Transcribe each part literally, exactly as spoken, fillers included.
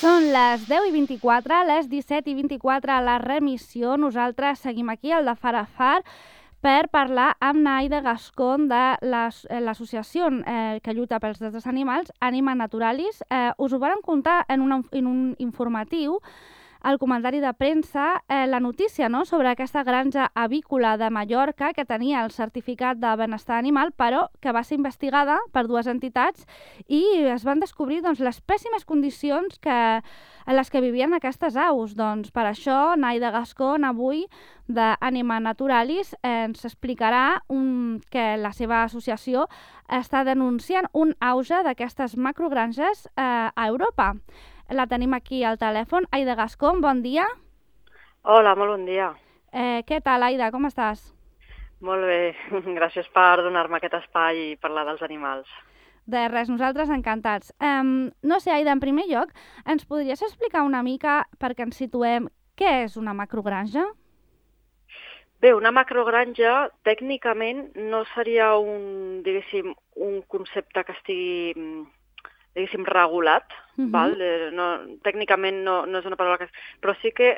Són les deu i vint-i-quatre, les disset i vint-i-quatre a la remissió. Nosaltres seguim aquí, al de Far a Far, per parlar amb Naida Gascón de l'associació eh, que lluita pels drets dels animals, Anima Naturalis. Eh, us ho vàrem contar en, una, en un informatiu, el comentari de premsa, eh, la notícia, no?, sobre aquesta granja avícola de Mallorca que tenia el certificat de benestar animal, però que va ser investigada per dues entitats i es van descobrir doncs, les pèssimes condicions que, en les que vivien aquestes aus. Doncs per això, Naida Gascón, avui, d'Anima Naturalis, eh, ens explicarà un, que la seva associació està denunciant un auge d'aquestes macrogranges eh, a Europa. La tenim aquí al telèfon. Aida Gascón, bon dia. Hola, molt bon dia. Eh, què tal, Aida? Com estàs? Molt bé. Gràcies per donar-me aquest espai i parlar dels animals. De res, nosaltres encantats. Um, no sé, Aida, en primer lloc, ens podries explicar una mica, perquè ens situem, què és una macrogranja? Bé, una macrogranja tècnicament no seria un, diguéssim, un concepte que estigui, diguéssim, regulat, uh-huh. val? No, tècnicament no, no és una paraula que... Però sí que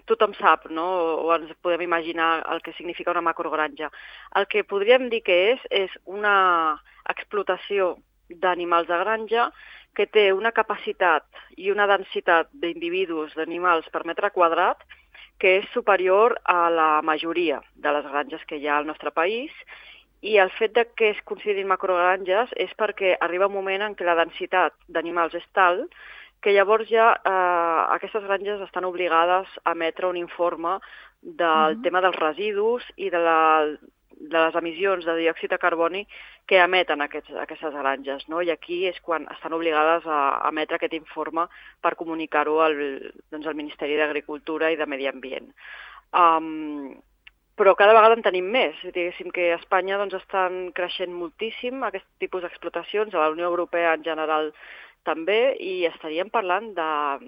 tothom sap, no?, o ens podem imaginar el que significa una macrogranja. El que podríem dir que és, és una explotació d'animals de granja que té una capacitat i una densitat d'individus, d'animals per metre quadrat, que és superior a la majoria de les granges que hi ha al nostre país, i el fet de que es considerin macrogranges és perquè arriba un moment en què la densitat d'animals és tal que llavors ja eh, aquestes granges estan obligades a emetre un informe del uh-huh. tema dels residus i de, la, de les emissions de diòxid de carboni que emeten aquests, aquestes granges, no? I aquí és quan estan obligades a emetre aquest informe per comunicar-ho al, doncs, al Ministeri d'Agricultura i de Medi Ambient. Um, Però cada vegada en tenim més. Diguéssim que a Espanya doncs, estan creixent moltíssim aquest tipus d'explotacions, a la Unió Europea en general també, i estaríem parlant de,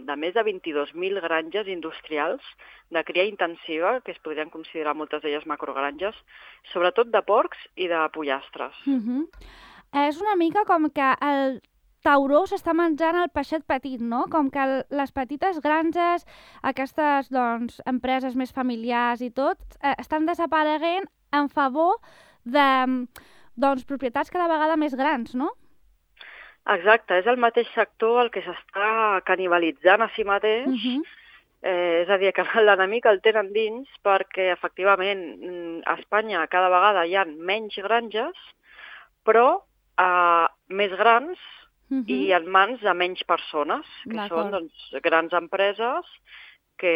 de més de vint-i-dos mil granges industrials de cria intensiva, que es podrien considerar moltes d'elles macrogranges, sobretot de porcs i de pollastres. Uh-huh. És una mica com que el tauró s'està menjant el peixet petit, no? Com que el, les petites granges, aquestes doncs, empreses més familiars i tot, eh, estan desapareguent en favor de doncs, propietats cada vegada més grans, no? Exacte, és el mateix sector el que s'està canibalitzant a si mateix, uh-huh. eh, és a dir, que l'enemic el tenen dins perquè efectivament a Espanya cada vegada hi ha menys granges, però eh, més grans, Uh-huh. i en mans de menys persones, que són doncs, grans empreses que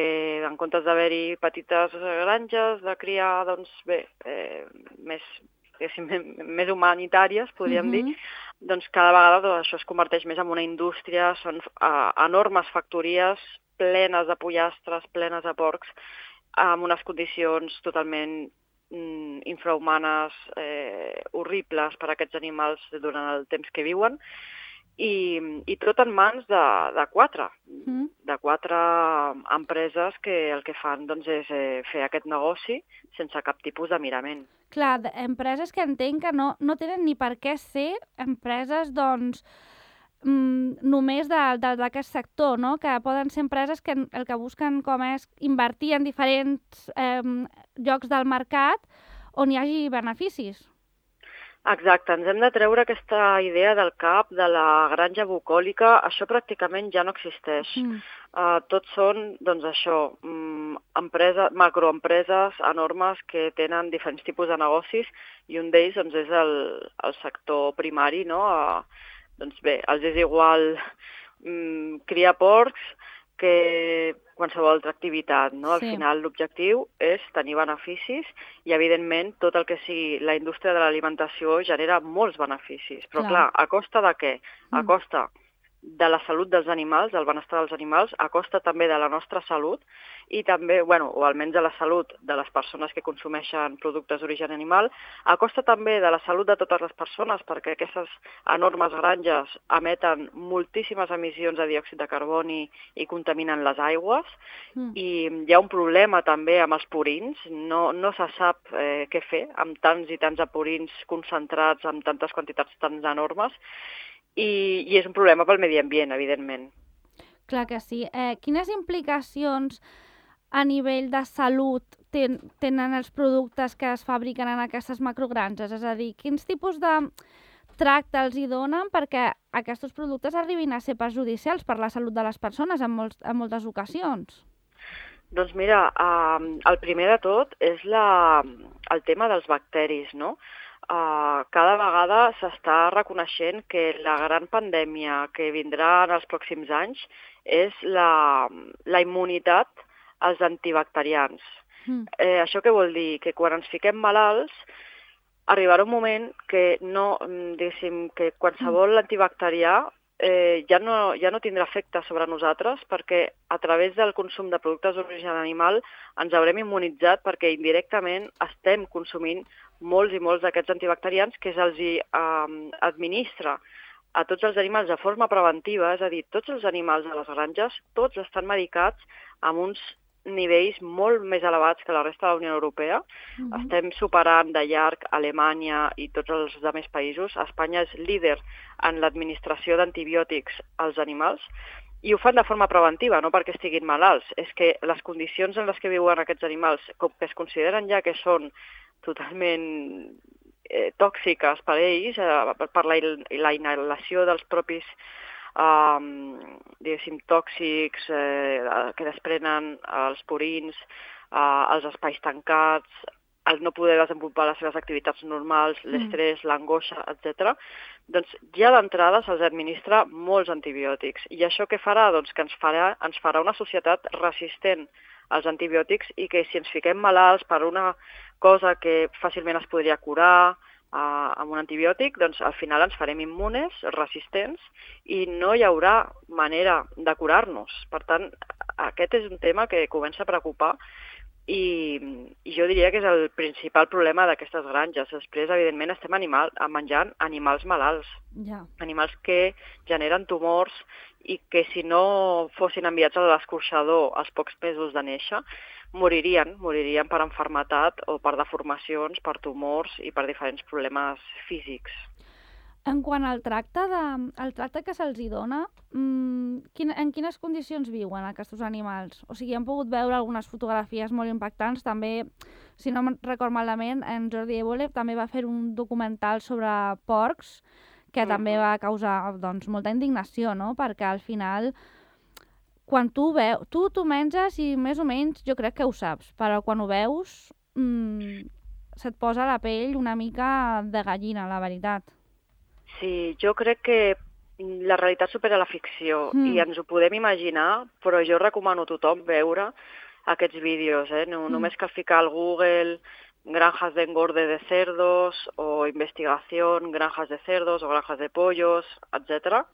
en comptes d'haver-hi petites granges de criar doncs, bé, eh, més, més humanitàries, podríem uh-huh. dir, doncs cada vegada doncs, això es converteix més en una indústria, són uh, enormes factories plenes de pollastres, plenes de porcs, amb unes condicions totalment mm, infrahumanes, eh, horribles per a aquests animals durant el temps que viuen, I, i tot en mans de, de quatre, mm. de quatre empreses que el que fan doncs, és eh, fer aquest negoci sense cap tipus de mirament. Clar, empreses que entenc que no, no tenen ni per què ser empreses doncs, mm, només d'aquest sector, no? Que poden ser empreses que el que busquen com és invertir en diferents eh, llocs del mercat on hi hagi beneficis. Exacte, ens hem de treure aquesta idea del cap de la granja bucòlica. Això pràcticament ja no existeix. Mm. Uh, tots són, doncs això, um, empresa, macroempreses enormes que tenen diferents tipus de negocis i un d'ells doncs, és el, el sector primari, no? Uh, doncs bé, els és igual um, criar porcs que qualsevol altra activitat, no? Al sí. final l'objectiu és tenir beneficis i evidentment tot el que sigui la indústria de l'alimentació genera molts beneficis, però clar, clar a costa de què? A costa de la salut dels animals, del benestar dels animals, a costa també de la nostra salut i també, bueno, o almenys de la salut de les persones que consumeixen productes d'origen animal, a costa també de la salut de totes les persones, perquè aquestes enormes granges emeten moltíssimes emissions de diòxid de carboni i contaminen les aigües, mm. i hi ha un problema també amb els purins, no, no se sap eh, què fer amb tants i tants de purins concentrats, amb tantes quantitats tan enormes, i, i és un problema pel medi ambient, evidentment. Clar que sí. Eh, quines implicacions a nivell de salut ten, tenen els productes que es fabriquen en aquestes macrogranges? És a dir, quins tipus de tracte els hi donen perquè aquests productes arribin a ser perjudicials per la salut de les persones en, molts, en moltes ocasions? Doncs mira, eh, el primer de tot és la, el tema dels bacteris, no? Uh, cada vegada s'està reconeixent que la gran pandèmia que vindrà en els pròxims anys és la, la immunitat als antibacterians. Mm. Eh, això què vol dir? Que quan ens fiquem malalts arribarà un moment que no, diguéssim, que qualsevol mm. antibacterià eh, ja, no, ja no tindrà efecte sobre nosaltres perquè a través del consum de productes d'origen animal ens haurem immunitzat perquè indirectament estem consumint molts i molts d'aquests antibacterians que se'ls eh, administra a tots els animals de forma preventiva, és a dir, tots els animals de les granges, tots estan medicats amb uns nivells molt més elevats que la resta de la Unió Europea. Uh-huh. Estem superant de llarg Alemanya i tots els altres països. Espanya és líder en l'administració d'antibiòtics als animals i ho fan de forma preventiva, no perquè estiguin malalts. És que les condicions en les que viuen aquests animals, com que es consideren ja que són totalment eh, tòxiques per ells, eh, per la, la inhalació dels propis eh, diguéssim, tòxics eh, que desprenen els purins, eh, els espais tancats, el no poder desenvolupar les seves activitats normals, l'estrès, mm. l'angoixa, etcètera, doncs ja d'entrada se'ls administra molts antibiòtics. I això què farà? Doncs que ens farà, ens farà una societat resistent als antibiòtics i que si ens fiquem malalts per una cosa que fàcilment es podria curar eh, amb un antibiòtic, doncs al final ens farem immunes, resistents i no hi haurà manera de curar-nos. Per tant, aquest és un tema que comença a preocupar i, i jo diria que és el principal problema d'aquestes granges. Després, evidentment, estem animal, menjant animals malalts, yeah. animals que generen tumors i que si no fossin enviats a l'escorxador als pocs mesos de néixer, moririen, moririen per malaltia o per deformacions, per tumors i per diferents problemes físics. En quant al tracte, de, el tracte que se'ls dona, mmm, quin, en quines condicions viuen aquests animals? O sigui, hem pogut veure algunes fotografies molt impactants. També, si no me'n record malament, en Jordi Évole també va fer un documental sobre porcs que uh-huh. també va causar doncs, molta indignació, no? Perquè al final, quan tu veus, tu t'ho menges i més o menys jo crec que ho saps, però quan ho veus mmm, se't posa la pell una mica de gallina, la veritat. Sí, jo crec que la realitat supera la ficció mm. i ens ho podem imaginar, però jo recomano a tothom veure aquests vídeos. Eh? No, mm. Només cal ficar al Google granjas de engorde de cerdos o investigación, granjas de cerdos o granjas de pollos, etcètera.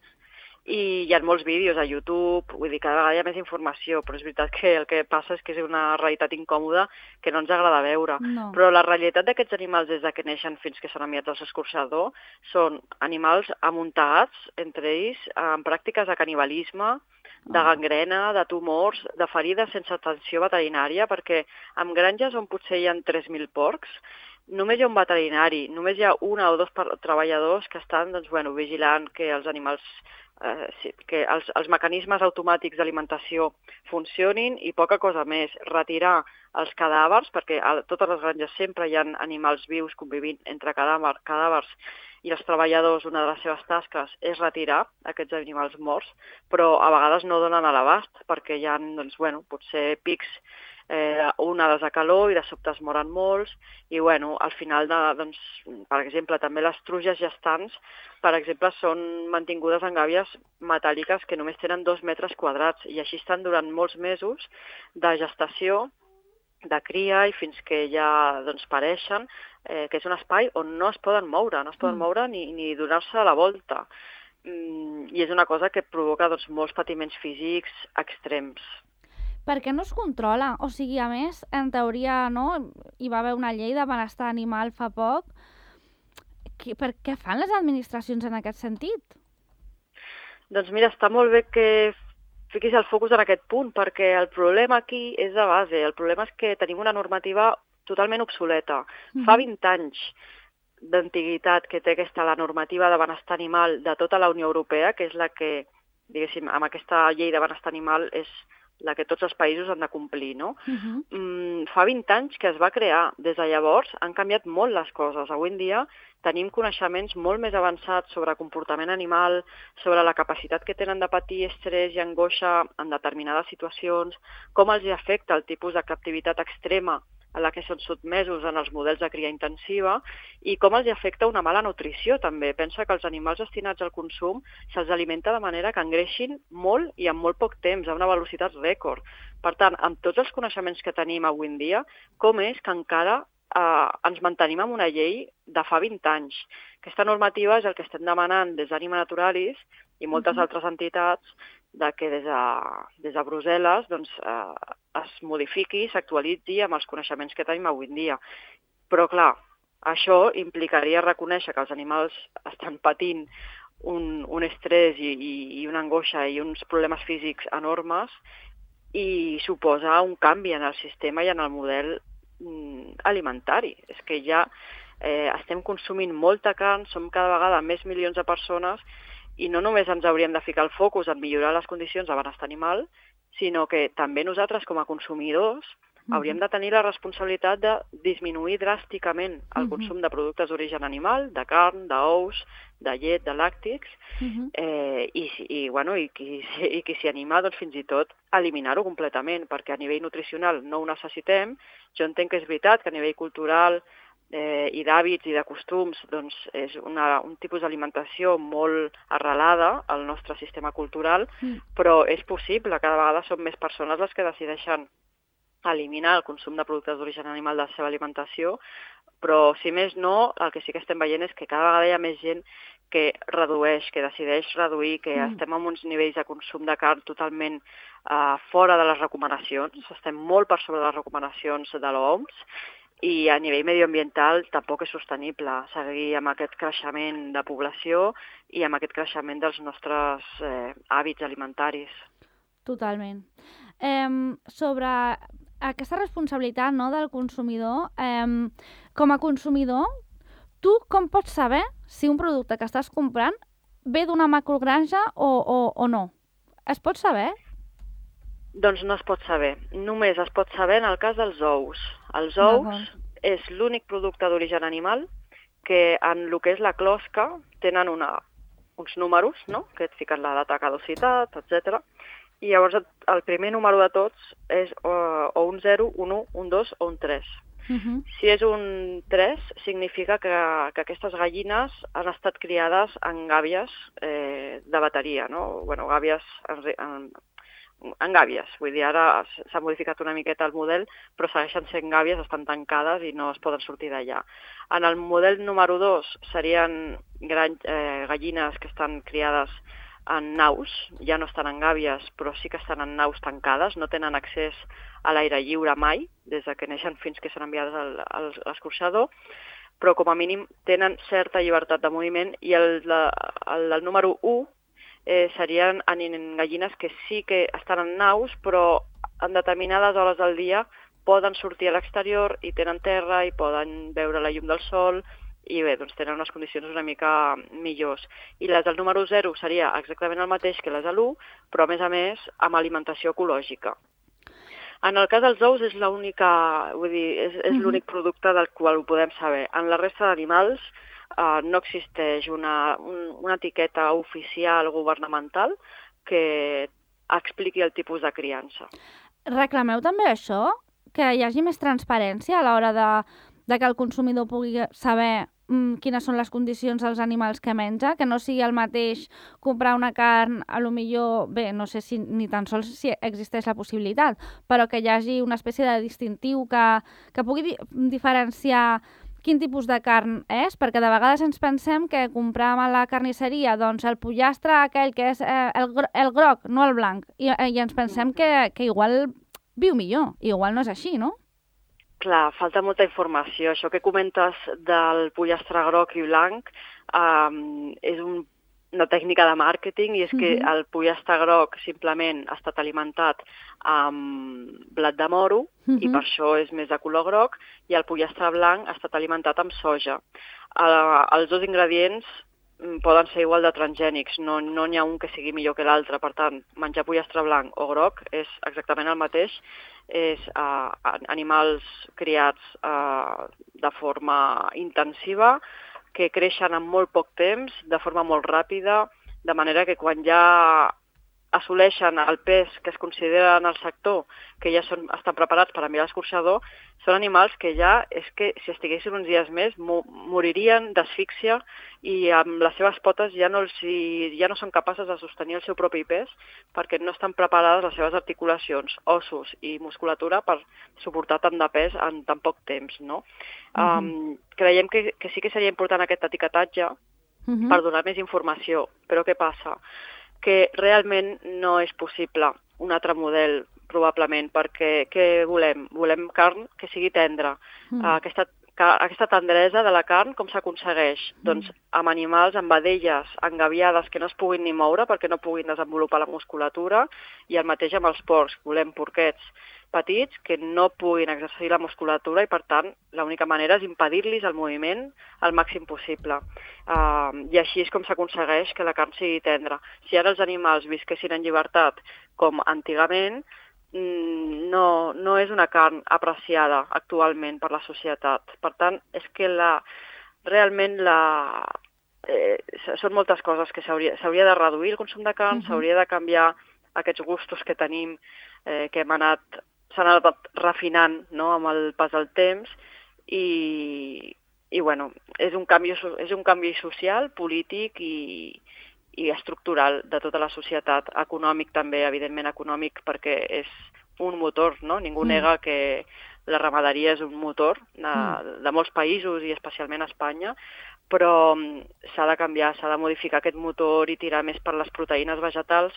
I hi ha molts vídeos a YouTube, vull dir, cada vegada hi ha més informació, però és veritat que el que passa és que és una realitat incòmoda que no ens agrada veure. No. Però la realitat d'aquests animals des que neixen fins que són enviats al escorxador són animals amuntegats entre ells en pràctiques de canibalisme, de gangrena, de tumors, de ferides sense atenció veterinària, perquè en granges on potser hi ha tres mil porcs, només hi ha un veterinari, només hi ha una o dos treballadors que estan doncs, bueno, vigilant que els animals Eh, sí, que els, els mecanismes automàtics d'alimentació funcionin i poca cosa més. Retirar els cadàvers, perquè a totes les granges sempre hi ha animals vius convivint entre cadàver, cadàvers i els treballadors, una de les seves tasques és retirar aquests animals morts, però a vegades no donen a l'abast perquè hi ha doncs, bueno, potser pics eh, onades de calor i de sobte es moren molts i bueno, al final, de, doncs, per exemple, també les truges gestants, per exemple, són mantingudes en gàbies metàl·liques que només tenen dos metres quadrats i així estan durant molts mesos de gestació, de cria i fins que ja doncs, pareixen, eh, que és un espai on no es poden moure, no es poden mm. moure ni, ni donar-se a la volta. Mm, I és una cosa que provoca doncs, molts patiments físics extrems. Per què no es controla? O sigui, a més, en teoria, no? Hi va haver una llei de benestar animal fa poc. Per què fan les administracions en aquest sentit? Doncs mira, està molt bé que fiquis el focus en aquest punt, perquè el problema aquí és de base. El problema és que tenim una normativa totalment obsoleta. Mm-hmm. Fa vint anys d'antiguitat que té aquesta la normativa de benestar animal de tota la Unió Europea, que és la que diguéssim, amb aquesta llei de benestar animal és la que tots els països han de complir, no? Uh-huh. Mm, fa vint anys que es va crear. Des de llavors han canviat molt les coses. Avui en dia tenim coneixements molt més avançats sobre comportament animal, sobre la capacitat que tenen de patir estrès i angoixa en determinades situacions, com els hi afecta el tipus de captivitat extrema a la que són sotmesos en els models de cria intensiva i com els afecta una mala nutrició també. Pensa que els animals destinats al consum se'ls alimenta de manera que engreixin molt i en molt poc temps, a una velocitat rècord. Per tant, amb tots els coneixements que tenim avui en dia, com és que encara eh, ens mantenim amb una llei de fa vint anys? Aquesta normativa és el que estem demanant des d'Anima Naturalis i moltes Uh-huh. altres entitats de que des de, des de Brussel·les doncs, eh, es modifiqui, s'actualitzi amb els coneixements que tenim avui en dia. Però, clar, això implicaria reconèixer que els animals estan patint un, un estrès i, i, i una angoixa i uns problemes físics enormes i suposa un canvi en el sistema i en el model mm, alimentari. És que ja eh, estem consumint molta carn, som cada vegada més milions de persones i no només ens hauríem de ficar el focus en millorar les condicions de benestar animal, sinó que també nosaltres com a consumidors Uh-huh. hauríem de tenir la responsabilitat de disminuir dràsticament el Uh-huh. consum de productes d'origen animal, de carn, d'ous, de llet, de làctics, Uh-huh. eh, i, i, bueno, i, qui, i qui s'hi anima, doncs fins i tot eliminar-ho completament, perquè a nivell nutricional no ho necessitem. Jo entenc que és veritat que a nivell cultural eh, i d'hàbits i de costums doncs és una, un tipus d'alimentació molt arrelada al nostre sistema cultural, Mm. però és possible, cada vegada són més persones les que decideixen eliminar el consum de productes d'origen animal de la seva alimentació, però si més no, el que sí que estem veient és que cada vegada hi ha més gent que redueix, que decideix reduir, que Mm. estem amb uns nivells de consum de carn totalment uh, fora de les recomanacions, estem molt per sobre de les recomanacions de l'O M S, i a nivell medioambiental tampoc és sostenible seguir amb aquest creixement de població i amb aquest creixement dels nostres eh, hàbits alimentaris. Totalment. Eh, sobre aquesta responsabilitat, no, del consumidor, eh, com a consumidor, tu com pots saber si un producte que estàs comprant ve d'una macrogranja o, o, o no? Es pot saber? Doncs no es pot saber. Només es pot saber en el cas dels ous. Els ous és l'únic producte d'origen animal que en el que és la closca tenen una, uns números, no?, que et fiquen la data de caducitat, etcètera. I llavors el primer número de tots és o, o un zero, un u, un dos o un tres. Uh-huh. Si és un tres, significa que, que aquestes gallines han estat criades en gàbies eh, de bateria, no? Bueno, gàbies en, en, en gàbies, vull dir, ara s'ha modificat una miqueta el model, però segueixen sent gàbies, estan tancades i no es poden sortir d'allà. En el model número dos serien gran, eh, gallines que estan criades en naus, ja no estan en gàbies, però sí que estan en naus tancades, no tenen accés a l'aire lliure mai, des de que neixen fins que són enviades al, al, a l'escorxador, però com a mínim tenen certa llibertat de moviment, i el, la, el, el número u eh, serien en, en gallines que sí que estan en naus, però en determinades hores del dia poden sortir a l'exterior i tenen terra i poden veure la llum del sol, i bé, doncs tenen unes condicions una mica millors. I les del número zero seria exactament el mateix que les de l'u, però a més a més amb alimentació ecològica. En el cas dels ous és l'única, vull dir, és, és l'únic producte del qual ho podem saber. En la resta d'animals eh, no existeix una, un, una etiqueta oficial governamental que expliqui el tipus de criança. Reclameu també això? Que hi hagi més transparència a l'hora de, de que el consumidor pugui saber mm, quines són les condicions dels animals que menja, que no sigui el mateix comprar una carn, a lo millor, bé, no sé si ni tan sols si existeix la possibilitat, però que hi hagi una espècie de distintiu que, que pugui di diferenciar quin tipus de carn és, perquè de vegades ens pensem que comprar a la carnisseria doncs, el pollastre aquell que és eh, el, gro el groc, no el blanc, i, i ens pensem que, que igual viu millor, igual no és així, no? Clar, falta molta informació. Això que comentes del pollastre groc i blanc um, és un, una tècnica de màrqueting, i és que Uh-huh. el pollastre groc simplement ha estat alimentat amb blat de moro, Uh-huh. i per això és més de color groc, i el pollastre blanc ha estat alimentat amb soja. Uh, els dos ingredients poden ser igual de transgènics, no no n'hi ha un que sigui millor que l'altre. Per tant, menjar pollastre blanc o groc és exactament el mateix, és uh, animals criats uh, de forma intensiva, que creixen en molt poc temps, de forma molt ràpida, de manera que quan ja assoleixen el pes que es considera en el sector, que ja són, estan preparats per enviar a l'escorxador, són animals que ja, és que si estiguessin uns dies més, mo moririen d'asfíxia i amb les seves potes ja no, els, ja no són capaces de sostenir el seu propi pes perquè no estan preparades les seves articulacions, ossos i musculatura per suportar tant de pes en tan poc temps, no? Uh-huh. um, creiem que, que sí que seria important aquest etiquetatge uh-huh. per donar més informació, però què passa? Que realment no és possible un altre model, probablement, perquè què volem? Volem carn que sigui tendra. Mm. Aquesta, aquesta tendresa de la carn, com s'aconsegueix? Mm. Doncs amb animals, amb vedelles engaviades que no es puguin ni moure perquè no puguin desenvolupar la musculatura, i el mateix amb els porcs. Volem porquets petits que no puguin exercir la musculatura i, per tant, l'única manera és impedir-los el moviment al màxim possible. Uh, I així és com s'aconsegueix que la carn sigui tendra. Si ara els animals visquessin en llibertat com antigament, no, no és una carn apreciada actualment per la societat. Per tant, és que la, realment la, eh, són moltes coses que s'hauria de reduir el consum de carn, uh-huh. s'hauria de canviar aquests gustos que tenim, eh, que hem anat s'han anat refinant, no?, amb el pas del temps, i, i bueno, és un canvi, és un canvi social, polític i, i estructural de tota la societat, econòmic també, evidentment econòmic, perquè és un motor, no? Ningú mm. nega que la ramaderia és un motor de, mm. de molts països i especialment a Espanya, però s'ha de canviar, s'ha de modificar aquest motor i tirar més per les proteïnes vegetals,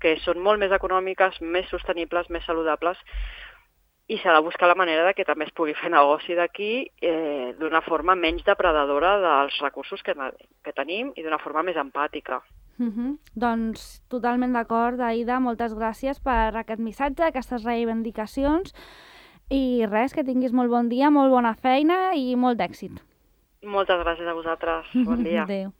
que són molt més econòmiques, més sostenibles, més saludables, i s'ha de buscar la manera de que també es pugui fer negoci d'aquí eh, d'una forma menys depredadora dels recursos que, que tenim i d'una forma més empàtica. Uh-huh. Doncs totalment d'acord, Aïda, moltes gràcies per aquest missatge, aquestes reivindicacions, i res, que tinguis molt bon dia, molt bona feina i molt d'èxit. Moltes gràcies a vosaltres. Bon dia. Adéu.